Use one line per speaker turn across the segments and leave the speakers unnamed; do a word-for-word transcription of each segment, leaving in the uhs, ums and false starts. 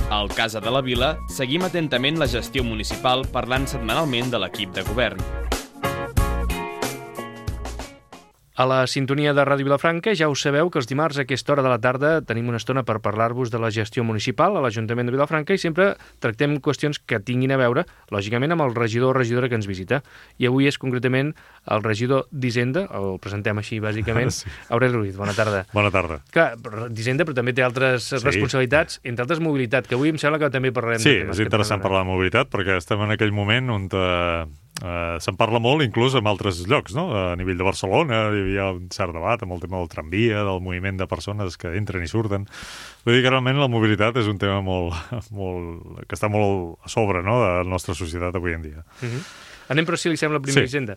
Al Casa de la Vila seguim atentament la gestió municipal parlant setmanalment de l'equip de govern.
A la sintonia de Ràdio Vilafranca ja us sabeu que els dimarts a aquesta hora de la tarda tenim una estona per parlar-vos de la gestió municipal a l'Ajuntament de Vilafranca i sempre tractem qüestions que tinguin a veure, lògicament, amb el regidor o regidora que ens visita. I avui és concretament el regidor d'Hisenda, el presentem així bàsicament. Sí. Aureli Ruiz, bona tarda.
Bona tarda.
Clar, d'Hisenda, però també té altres sí. responsabilitats, entre altres mobilitat, que avui em sembla que també parlarem.
Sí, és interessant parlar de mobilitat perquè estem en aquell moment on uh, uh, se'n parla molt, inclús en altres llocs, no? A nivell de Barcelona hi havia un cert debat amb el tema del tramvia, del moviment de persones que entren i surten. Vull dir que realment la mobilitat és un tema molt, molt, que està molt a sobre, no?, de la nostra societat avui en dia.
Uh-huh. Anem, però, si li sembla, primer
sí.
Hisenda.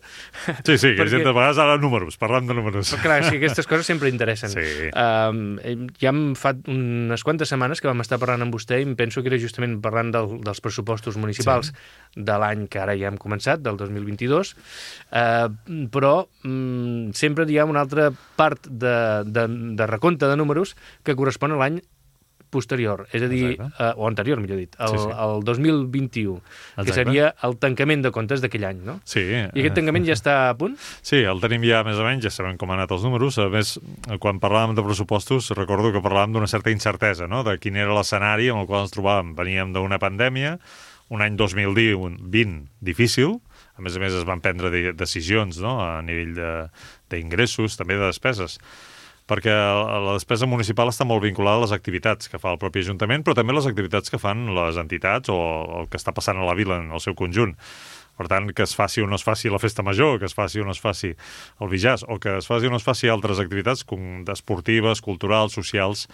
Sí, sí, que Perquè... Hisenda, a vegades ara números, parlant de números.
Però, clar, sí, aquestes coses sempre interessen.
Sí.
Um, ja em fa unes quantes setmanes que vam estar parlant amb vostè i em penso que era justament parlant del, dels pressupostos municipals sí. de l'any que ara ja hem començat, del dos mil vint-i-dos, uh, però um, sempre hi ha una altra part de, de, de recompte de números que correspon a l'any posterior, és a dir, uh, o anterior, millor dit, el, sí, sí. el dos mil vint-i-u, Exacte. que seria el tancament de comptes d'aquell any, no?
Sí.
I aquest tancament ja està a punt?
Sí, el tenim ja més o menys, ja sabem com han anat els números. A més, quan parlàvem de pressupostos, recordo que parlàvem d'una certa incertesa, no?, de quin era l'escenari en el qual ens trobàvem. Veníem d'una pandèmia, un any dos mil vint difícil, a més a més es van prendre de decisions, no?, a nivell d'ingressos, també de despeses, perquè la despesa municipal està molt vinculada a les activitats que fa el propi Ajuntament, però també les activitats que fan les entitats o el que està passant a la vila en el seu conjunt. Per tant, que es faci o no es faci la festa major, que es faci o no es faci el Bijàs, o que es faci o no es faci altres activitats esportives, culturals, socials,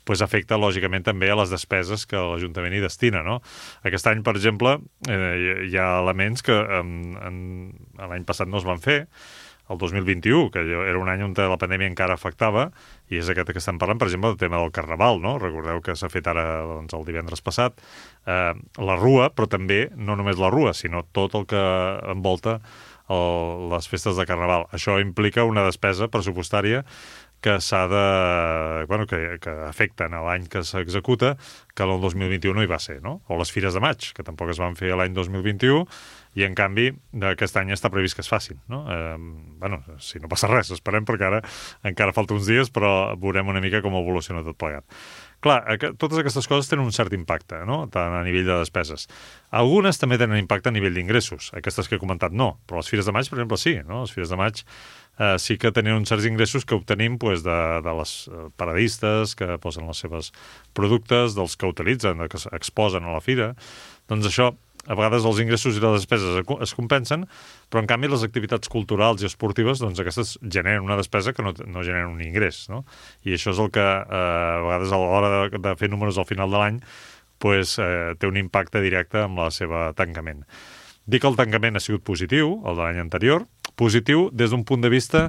pues afecta, lògicament, també a les despeses que l'Ajuntament hi destina, no? Aquest any, per exemple, eh, hi ha elements que en, en, l'any passat no es van fer, el dos mil vint-i-u, que era un any on la pandèmia encara afectava, i és aquest que estem parlant, per exemple, del tema del Carnaval, no? Recordeu que s'ha fet ara, doncs, el divendres passat, eh, la Rua, però també, no només la Rua, sinó tot el que envolta el, les festes de Carnaval. Això implica una despesa pressupostària que s'ha de... Bueno, que, que afecten a l'any que s'executa, que el dos mil vint-i-u no hi va ser, no? O les Fires de Maig, que tampoc es van fer l'any dos mil vint-i-u, i en canvi aquest any està previst que es facin, no? Eh, bueno, si no passa res, esperem, perquè ara encara falta uns dies, però veurem una mica com evoluciona tot plegat. Clar, totes aquestes coses tenen un cert impacte, no?, tant a nivell de despeses. Algunes també tenen impacte a nivell d'ingressos. Aquestes que he comentat no, però les Fires de Maig, per exemple, sí, no? Les Fires de Maig eh, sí que tenen uns certs ingressos que obtenim pues, de, de les paradistes que posen els seus productes, dels que utilitzen, que exposen a la fira. Doncs això, a vegades els ingressos i les despeses es compensen, però en canvi les activitats culturals i esportives, doncs aquestes generen una despesa que no, no generen un ingrés, no? I això és el que eh, a vegades a l'hora de, de fer números al final de l'any pues, eh, té un impacte directe amb la seva tancament. Dic que el tancament ha sigut positiu, el de l'any anterior, positiu des d'un punt de vista...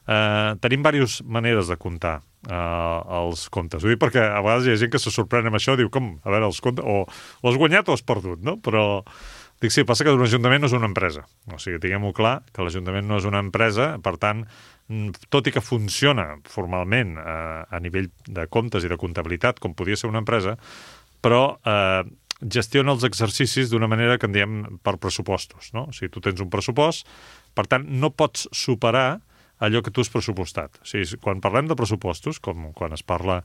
Eh, tenim diverses maneres de comptar eh, els comptes. Ho dic perquè a vegades hi ha gent que se sorprèn amb això, diu, com, a veure, els comptes, o, o has guanyat o has perdut, no? Però dic, sí, passa que un ajuntament no és una empresa. O sigui, tinguem-ho clar, que l'Ajuntament no és una empresa, per tant, tot i que funciona formalment eh, a nivell de comptes i de comptabilitat, com podia ser una empresa, però eh, gestiona els exercicis d'una manera que en diem per pressupostos, no? O sigui, tu tens un pressupost, per tant, no pots superar allò que tu has pressupostat. O sigui, quan parlem de pressupostos, com quan es parla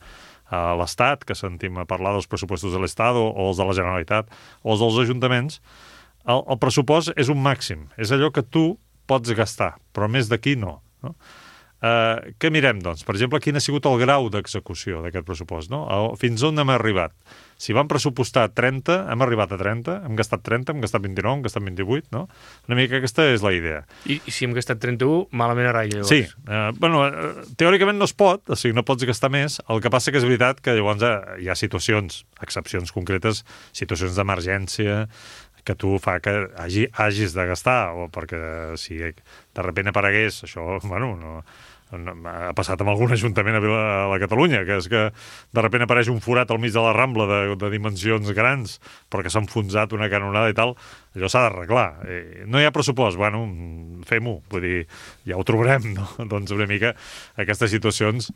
a l'Estat, que sentim a parlar dels pressupostos de l'Estat o, o els de la Generalitat o els dels ajuntaments, el, el pressupost és un màxim. És allò que tu pots gastar, però més d'aquí no. no? Uh, què mirem, doncs? Per exemple, quin ha sigut el grau d'execució d'aquest pressupost, no? Fins on hem arribat? Si vam pressupostar trenta, hem arribat a trenta, hem gastat trenta, hem gastat vint-i-nou, hem gastat vint-i-vuit, no? Una mica aquesta és la idea.
I, i si hem gastat trenta-u, malament a ratlla, llavors?
Sí. Uh, bueno, uh, teòricament no es pot, o sigui, no pots gastar més. El que passa que és veritat que llavors hi ha situacions, excepcions concretes, situacions d'emergència, que tu fa que hagi, hagis de gastar, o perquè si de sobte aparegués, això, bueno, no... ha passat amb algun ajuntament a, Vila, a la Catalunya, que és que de sobte apareix un forat al mig de la Rambla de, de dimensions grans, perquè s'ha enfonsat una canonada i tal, allò s'ha d'arreglar. Eh, no hi ha pressupost, bueno, fem-ho, vull dir, ja ho trobarem, no? Doncs una mica aquestes situacions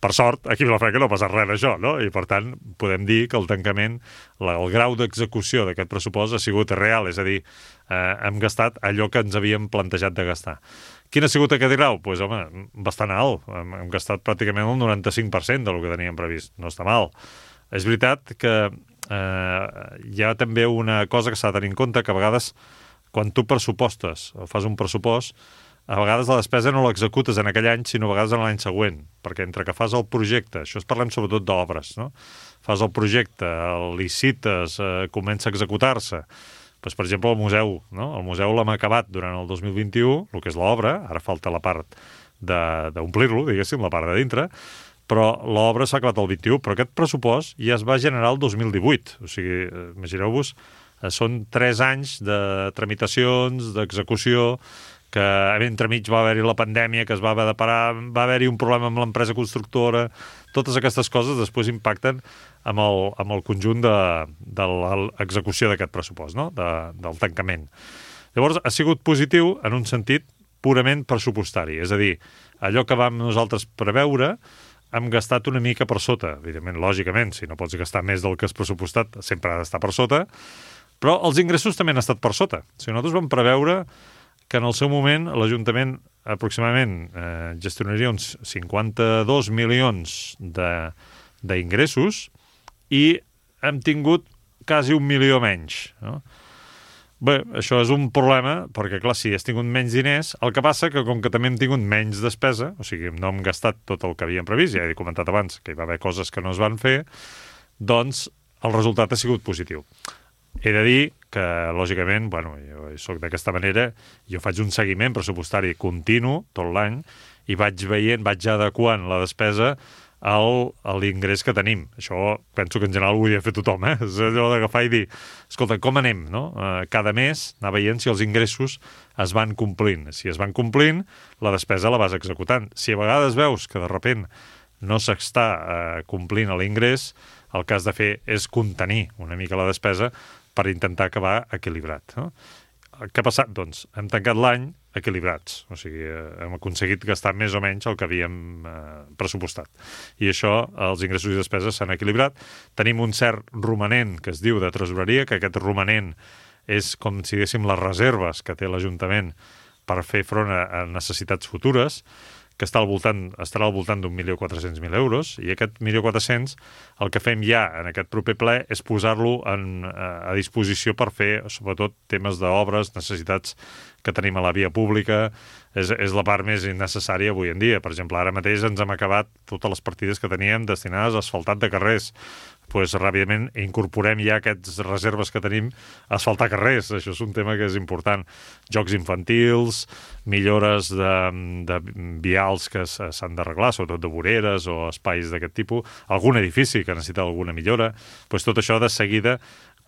Per sort, aquí a Vilafranca no passa res d'això, no? I, per tant, podem dir que el tancament, la, el grau d'execució d'aquest pressupost ha sigut real, és a dir, eh, hem gastat allò que ens havíem plantejat de gastar. Quin ha sigut aquest grau? Doncs, pues, home, bastant alt. Hem, hem gastat pràcticament el noranta-cinc per cent del que teníem previst. No està mal. És veritat que eh, hi ha també una cosa que s'ha de tenir en compte, que a vegades, quan tu pressupostes o fas un pressupost, a vegades la despesa no l'executes en aquell any, sinó a vegades en l'any següent, perquè entre que fas el projecte, això es parlem sobretot d'obres, no? Fas el projecte, el licites, eh, comença a executar-se. Pues, per exemple, el museu, no? El museu l'hem acabat durant el dos mil vint-i-u, el que és l'obra, ara falta la part d'omplir-lo, diguéssim, la part de dintre, però l'obra s'ha acabat el vint-i-u, però aquest pressupost ja es va generar el dos mil divuit. O sigui, imagineu-vos, són tres anys de tramitacions, d'execució, que entremig va haver-hi la pandèmia, que es va haver de parar, va haver-hi un problema amb l'empresa constructora, totes aquestes coses després impacten amb el, amb el conjunt de, de l'execució d'aquest pressupost, no? de, del tancament. Llavors, ha sigut positiu en un sentit purament pressupostari, és a dir, allò que vam nosaltres preveure hem gastat una mica per sota, evidentment, lògicament, si no pots gastar més del que has pressupostat, sempre ha d'estar per sota, però els ingressos també han estat per sota. O sigui, nosaltres vam preveure que en el seu moment l'Ajuntament aproximadament eh, gestionaria uns cinquanta-dos milions d'ingressos i hem tingut quasi un milió menys, no? Bé, això és un problema, perquè, clar, si has tingut menys diners, el que passa que, com que també hem tingut menys despesa, o sigui, no hem gastat tot el que havíem previst, ja he comentat abans que hi va haver coses que no es van fer, doncs el resultat ha sigut positiu. He de dir que, lògicament, bueno, jo soc d'aquesta manera, jo faig un seguiment pressupostari continu tot l'any i vaig veient, vaig adequant la despesa al, a l'ingrés que tenim. Això penso que en general ho hauria de fer tothom, eh? És allò d'agafar i dir, escolta, com anem, no? Eh, cada mes anar veient si els ingressos es van complint. Si es van complint, la despesa la vas executant. Si a vegades veus que de sobte no s'està eh, complint l'ingrés, el que has de fer és contenir una mica la despesa per intentar acabar equilibrat, no? Què ha passat? Doncs hem tancat l'any equilibrats, o sigui, hem aconseguit gastar més o menys el que havíem eh, pressupostat. I això, els ingressos i despeses s'han equilibrat. Tenim un cert romanent que es diu de tresoreria, que aquest romanent és com si diguéssim les reserves que té l'Ajuntament per fer front a, a necessitats futures, que està al voltant, estarà al voltant d'un milió quatre-cents mil euros, i aquest milió quatre-cents el que fem ja en aquest proper ple és posar-lo en, a disposició per fer, sobretot, temes d'obres, necessitats que tenim a la via pública. És, és la part més innecessària avui en dia. Per exemple, ara mateix ens hem acabat totes les partides que teníem destinades a asfaltat de carrers. Pues, ràpidament incorporem ja aquestes reserves que tenim a asfaltar carrers. Això és un tema que és important. Jocs infantils, millores de, de vials que s'han d'arreglar, sobretot de voreres o espais d'aquest tipus, algun edifici que necessita alguna millora. Pues, tot això de seguida,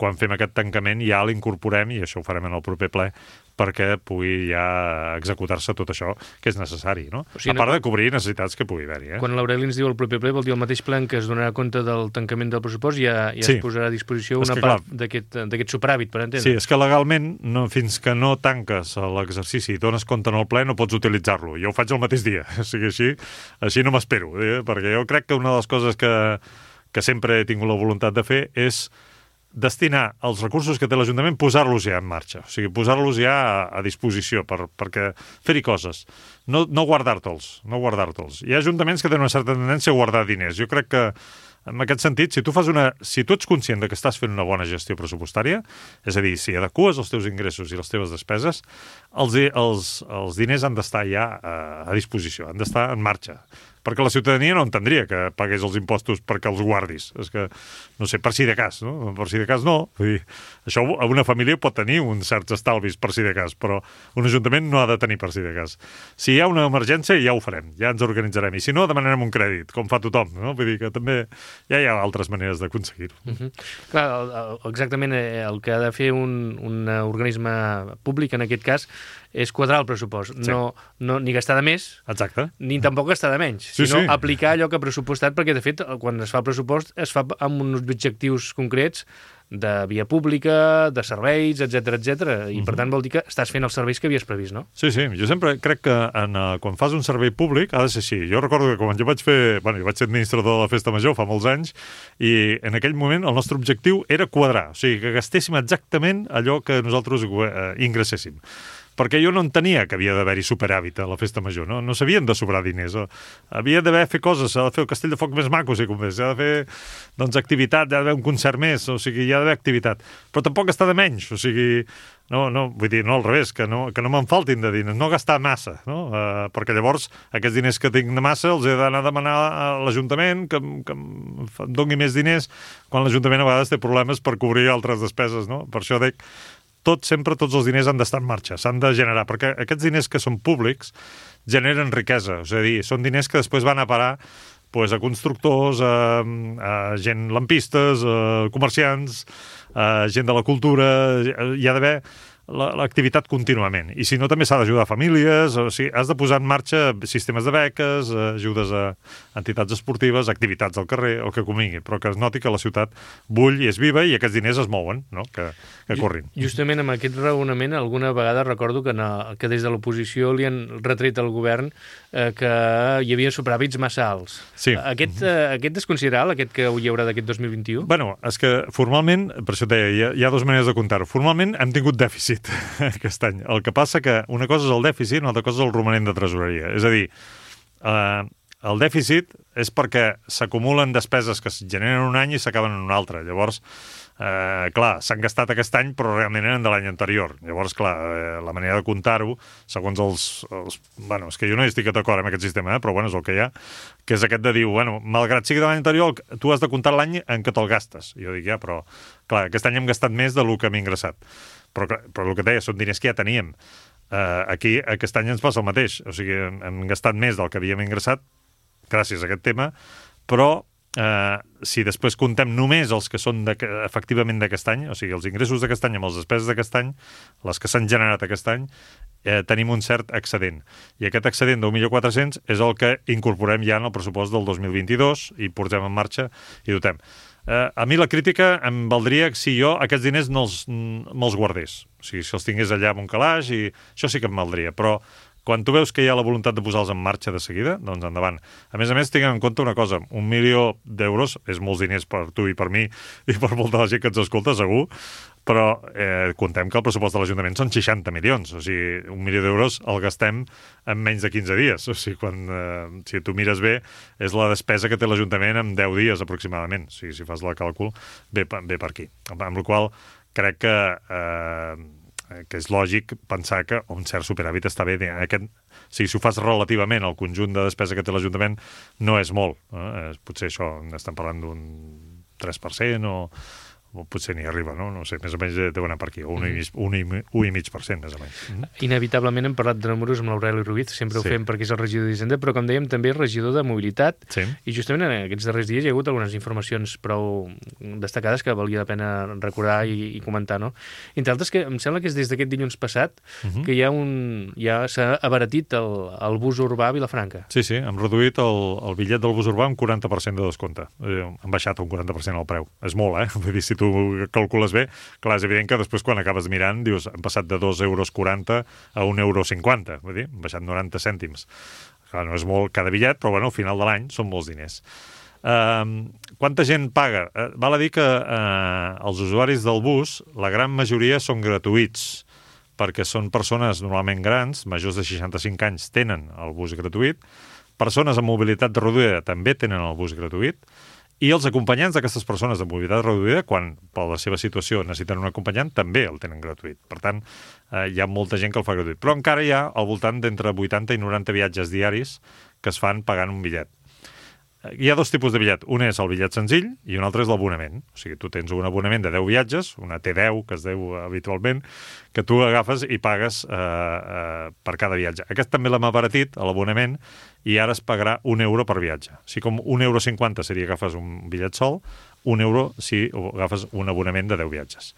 quan fem aquest tancament, ja l'incorporem, i això ho farem en el proper ple, perquè pugui ja executar-se tot això que és necessari, no? O sigui, a part de cobrir necessitats que pugui haver-hi. Eh?
Quan l'Aureli ens diu el proper ple, vol dir el mateix ple en què es donarà compte del tancament del pressupost i ja, ja sí. es posarà a disposició una que, part d'aquest superàvit, per entendre.
Sí, és que legalment, no, fins que no tanques l'exercici i dones compte en el ple, no pots utilitzar-lo. Jo ho faig el mateix dia, o sigui, així, així no m'espero, eh? Perquè jo crec que una de les coses que, que sempre he tingut la voluntat de fer és destinar els recursos que té l'Ajuntament, posar-los ja en marxa, o sigui, posar-los ja a, a disposició per, perquè fer-hi coses, no, no guardar-te'ls, no guardar-te'ls. Hi ha ajuntaments que tenen una certa tendència a guardar diners. Jo crec que, en aquest sentit, si tu fas una, si tu ets conscient de que estàs fent una bona gestió pressupostària, és a dir, si adeques els teus ingressos i les teves despeses, els, els, els diners han d'estar ja a, a disposició, han d'estar en marxa. Perquè la ciutadania no entendria que pagués els impostos perquè els guardis. És que, no sé, per si de cas, no? Per si de cas no. Vull dir, això a una família pot tenir uns certs estalvis per si de cas, però un ajuntament no ha de tenir per si de cas. Si hi ha una emergència, ja ho farem, ja ens organitzarem. I si no, demanarem un crèdit, com fa tothom, no? Vull dir que també ja hi ha altres maneres d'aconseguir-ho.
Uh-huh. Clar, el, el, exactament el que ha de fer un, un organisme públic, en aquest cas, és quadrar el pressupost. Sí. No, no, ni gastar de més,
exacte,
ni tampoc gastar de menys,
sí,
sinó
sí.
aplicar allò que ha pressupostat, perquè, de fet, quan es fa el pressupost, es fa amb uns objectius concrets de via pública, de serveis, etcètera, etcètera. I, per tant, vol dir que estàs fent els serveis que havies previst, no?
Sí, sí. Jo sempre crec que en, uh, quan fas un servei públic ha de ser així. Jo recordo que quan jo vaig fer... Bueno, jo vaig ser administrador de la Festa Major fa molts anys i en aquell moment el nostre objectiu era quadrar, o sigui, que gastéssim exactament allò que nosaltres uh, ingresséssim. Perquè jo no entenia que havia d'haver-hi superàvit a la Festa Major, no, no s'havien de sobrar diners. Havia d'haver fer coses, s'ha de fer el castell de foc més maco, si convés, s'ha de fer doncs, activitat, hi ha d'haver un concert més, o sigui, hi ha d'haver activitat. Però tampoc està de menys, o sigui, no, no, vull dir, no al revés, que no, que no me'n faltin de diners, no gastar massa, no? Uh, perquè llavors aquests diners que tinc de massa els he d'anar a demanar a l'Ajuntament que, que em doni més diners, quan l'Ajuntament a vegades té problemes per cobrir altres despeses, no? Per això dic, tot, sempre tots els diners han d'estar en marxa, s'han de generar, perquè aquests diners que són públics generen riquesa, és a dir, són diners que després van a parar pues, a constructors, a, a gent lampistes, a comerciants, a gent de la cultura, hi ha d'haver l'activitat contínuament. I si no, també s'ha d'ajudar a famílies, o sigui, has de posar en marxa sistemes de beques, ajudes a entitats esportives, activitats al carrer, el que convingui, però que es noti que la ciutat bull i és viva i aquests diners es mouen, no? que, que corrin.
Justament amb aquest raonament, alguna vegada recordo que, no, que des de l'oposició li han retret al govern eh, que hi havia superàvits massa alts.
Sí.
Aquest, eh, aquest és considerable, aquest que hi haurà d'aquest dos mil vint-i-u?
Bueno, és que formalment, per això et deia, hi ha, hi ha dues maneres de comptar-ho. Formalment hem tingut dèficit aquest any. El que passa que una cosa és el dèficit, una altra cosa és el romanent de tresoreria. És a dir, eh, el dèficit és perquè s'acumulen despeses que es generen un any i s'acaben en un altre. Llavors, eh, clar, s'han gastat aquest any, però realment eren de l'any anterior. Llavors, clar, eh, la manera de comptar-ho, segons els, els... Bueno, és que jo no estic d'acord amb aquest sistema, eh, però bueno, és el que hi ha, que és aquest de dir, bueno, malgrat sigui de l'any anterior, tu has de comptar l'any en què te'l gastes. I jo dic, ja, però, clar, aquest any hem gastat més del que hem ingressat. Però, però el que deia, són diners que ja teníem. Uh, aquí, aquest any ens passa el mateix. O sigui, hem, hem gastat més del que havíem ingressat gràcies a aquest tema, però uh, si després comptem només els que són de, efectivament d'aquest any, o sigui, els ingressos d'aquest any amb les despeses d'aquest any, les que s'han generat aquest any, eh, tenim un cert excedent. I aquest excedent d'un milió quatre-cents és el que incorporem ja en el pressupost del dos mil vint-i-dos i portem en marxa i dotem. Uh, a mi la crítica em valdria si jo aquests diners no els, me'ls guardés. O sigui, si els tingués allà en un calaix, i això sí que em valdria. Però quan tu veus que hi ha la voluntat de posar-los en marxa de seguida, doncs endavant. A més a més, tinguem en compte una cosa. Un milió d'euros és molts diners per tu i per mi i per molta la gent que ens escolta, segur, però eh, contem que el pressupost de l'Ajuntament són seixanta milions. O sigui, un milió d'euros el gastem en menys de quinze dies. O sigui, quan, eh, si tu mires bé, és la despesa que té l'Ajuntament en deu dies aproximadament. O sigui, si fas el càlcul, ve, ve per aquí. Amb la qual crec que, eh, que és lògic pensar que un cert superàvit està bé. Aquest, o sigui, si ho fas relativament al conjunt de despesa que té l'Ajuntament, no és molt. Eh? Potser això, estem parlant d'un tres per cent o... o potser n'hi arriba, no? No sé, més o menys deu anar per aquí, o un i mig per cent, més o menys.
Inevitablement hem parlat de números amb l'Aureli Ruiz, sempre ho
Sí.
fem perquè és el regidor d'Hisenda, però com dèiem també és regidor de Mobilitat,
Sí.
i justament en aquests darrers dies hi ha hagut algunes informacions prou destacades que valia la pena recordar i, i comentar, no? Entre altres, que em sembla que és des d'aquest dilluns passat
Uh -huh.
que hi ha un... ja s'ha abaratit el, el bus urbà a Vilafranca.
Sí, sí, hem reduït el, el bitllet del bus urbà un quaranta per cent de descompte. Eh, han baixat un quaranta per cent el preu. És molt, eh? Vull dir, si tu calcules bé, clar, és evident que després quan acabes mirant dius, han passat de dos euros quaranta a un euro cinquanta, vull dir, han baixat noranta cèntims. Clar, no és molt cada bitllet, però bueno, al final de l'any són molts diners. Uh, quanta gent paga? Uh, val a dir que uh, els usuaris del bus, la gran majoria són gratuïts, perquè són persones normalment grans, majors de seixanta-cinc anys tenen el bus gratuït, persones amb mobilitat reduïda també tenen el bus gratuït, i els acompanyants d'aquestes persones de mobilitat reduïda, quan per la seva situació necessiten un acompanyant, també el tenen gratuït. Per tant, eh, hi ha molta gent que el fa gratuït. Però encara hi ha al voltant d'entre vuitanta i noranta viatges diaris que es fan pagant un bitllet. Hi ha dos tipus de bitllet. Un és el bitllet senzill i un altre és l'abonament. O sigui, tu tens un abonament de deu viatges, una T deu, que es deu habitualment, que tu agafes i pagues eh, eh, per cada viatge. Aquest també l'hem abaratit, l'abonament, i ara es pagarà un euro per viatge. O sigui, com un euro cinquanta seria que agafes un bitllet sol, un euro si agafes un abonament de deu viatges.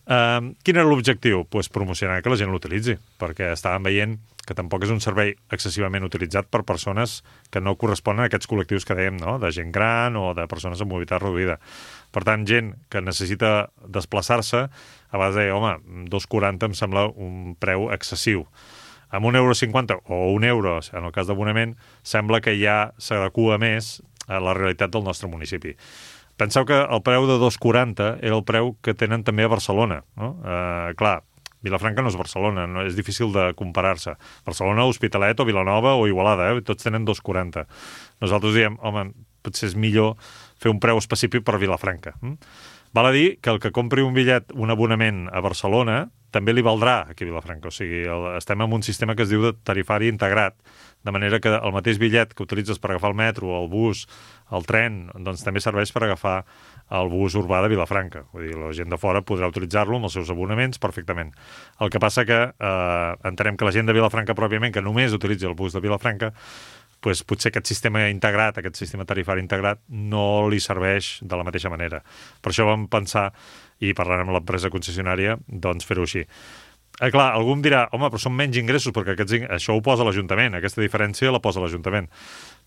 Uh, quin era l'objectiu? Pues promocionar que la gent l'utilitzi, perquè estàvem veient que tampoc és un servei excessivament utilitzat per persones que no corresponen a aquests col·lectius que dèiem, no? De gent gran o de persones amb mobilitat reduïda. Per tant, gent que necessita desplaçar-se, a vegades deia, home, dos quaranta em sembla un preu excessiu. Amb un euro cinquanta o un euro, en el cas d'abonament, sembla que ja s'adequa més a la realitat del nostre municipi. Penseu que el preu de dos quaranta era el preu que tenen també a Barcelona, no? Eh, clar, Vilafranca no és Barcelona, no és difícil de comparar-se. Barcelona, Hospitalet o Vilanova o Igualada, eh? Tots tenen dos quaranta. Nosaltres diem, home, potser és millor fer un preu específic per Vilafranca. Hm? Val a dir que el que compri un bitllet, un abonament a Barcelona, també li valdrà aquí a Vilafranca. O sigui, el, estem en un sistema que es diu de tarifari integrat, de manera que el mateix bitllet que utilitzes per agafar el metro, el bus, el tren, doncs també serveix per agafar el bus urbà de Vilafranca. Vull dir, la gent de fora podrà utilitzar-lo amb els seus abonaments perfectament. El que passa que eh, entenem que la gent de Vilafranca pròpiament, que només utilitzi el bus de Vilafranca, pues, potser aquest sistema integrat, aquest sistema tarifari integrat, no li serveix de la mateixa manera. Per això vam pensar, i parlant amb l'empresa concessionària, doncs fer-ho així. Eh, clar, algú em dirà, home, però són menys ingressos, perquè aquests, això ho posa l'Ajuntament, aquesta diferència la posa l'Ajuntament.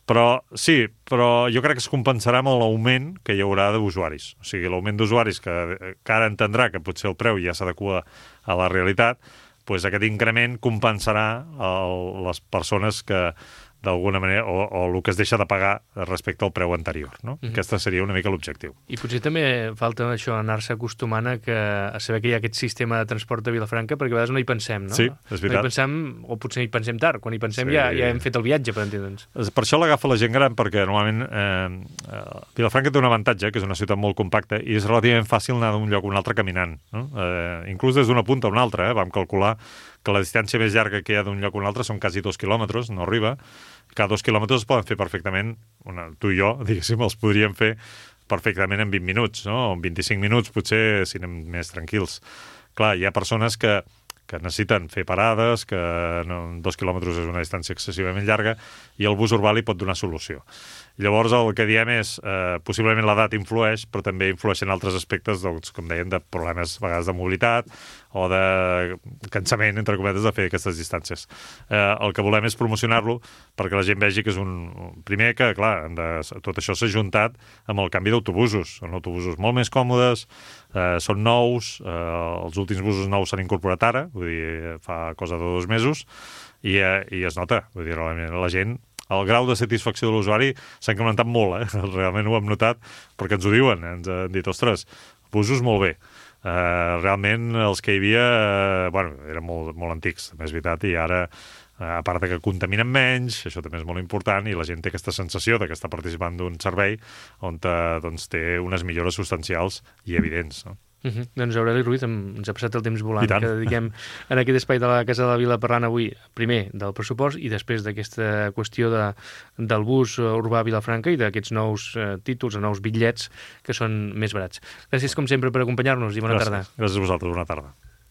Però sí, però jo crec que es compensarà amb l'augment que hi haurà d'usuaris. O sigui, l'augment d'usuaris que, que ara entendrà que potser el preu ja s'adequa a la realitat, doncs aquest increment compensarà el, les persones que d'alguna manera, o, o el que es deixa de pagar respecte al preu anterior, no? Mm-hmm. Aquesta seria una mica l'objectiu.
I potser també falta això, anar-se acostumant a, que, a saber que hi ha aquest sistema de transport a Vilafranca, perquè a vegades no hi pensem, no?
Sí, és veritat.
No hi pensem, o potser hi pensem tard, quan hi pensem sí. ja, ja hem fet el viatge, per entendre'ns.
Per això l'agafa la gent gran, perquè normalment eh, Vilafranca té un avantatge, que és una ciutat molt compacta, i és relativament fàcil anar d'un lloc a un altre caminant, no? Eh, inclús des d'una punta a una altra, eh? Vam calcular que la distància més llarga que hi ha d'un lloc a un altre són quasi dos quilòmetres, no arriba. Cada dos quilòmetres es poden fer perfectament, una, tu i jo, diguéssim, els podríem fer perfectament en vint minuts, no? O en vint-i-cinc minuts, potser, si anem més tranquils. Clar, hi ha persones que, que necessiten fer parades, que no, dos quilòmetres és una distància excessivament llarga, i el bus urbà li pot donar solució. Llavors, el que diem és, eh, possiblement l'edat influeix, però també influeixen altres aspectes, doncs, com deien, de problemes a vegades de mobilitat o de cansament, entre cometes, de fer aquestes distàncies. Eh, el que volem és promocionar-lo perquè la gent vegi que és un... Primer que, clar, de... tot això s'ha juntat amb el canvi d'autobusos. Són autobusos molt més còmodes, eh, són nous, eh, els últims busos nous s'han incorporat ara, vull dir, fa cosa de dos mesos, i, eh, i es nota. Vull dir, la, la gent... El grau de satisfacció de l'usuari s'ha incrementat molt, eh? Realment ho hem notat, perquè ens ho diuen, ens han dit, ostres, busos molt bé. Uh, realment els que hi havia, uh, bueno, eren molt, molt antics, també és veritat, i ara, uh, a part que contaminen menys, això també és molt important, i la gent té aquesta sensació de que està participant d'un servei on uh, doncs, té unes millores substancials i evidents, no?
Uh-huh. Doncs Aureli Ruiz, ens ha passat el temps volant que dediquem en aquest espai de la Casa de la Vila parlant avui, primer del pressupost i després d'aquesta qüestió de, del bus urbà a Vilafranca i d'aquests nous eh, títols, nous bitllets que són més barats. Gràcies com sempre per acompanyar-nos i bona
Gràcies.
tarda.
Gràcies a vosaltres, bona tarda.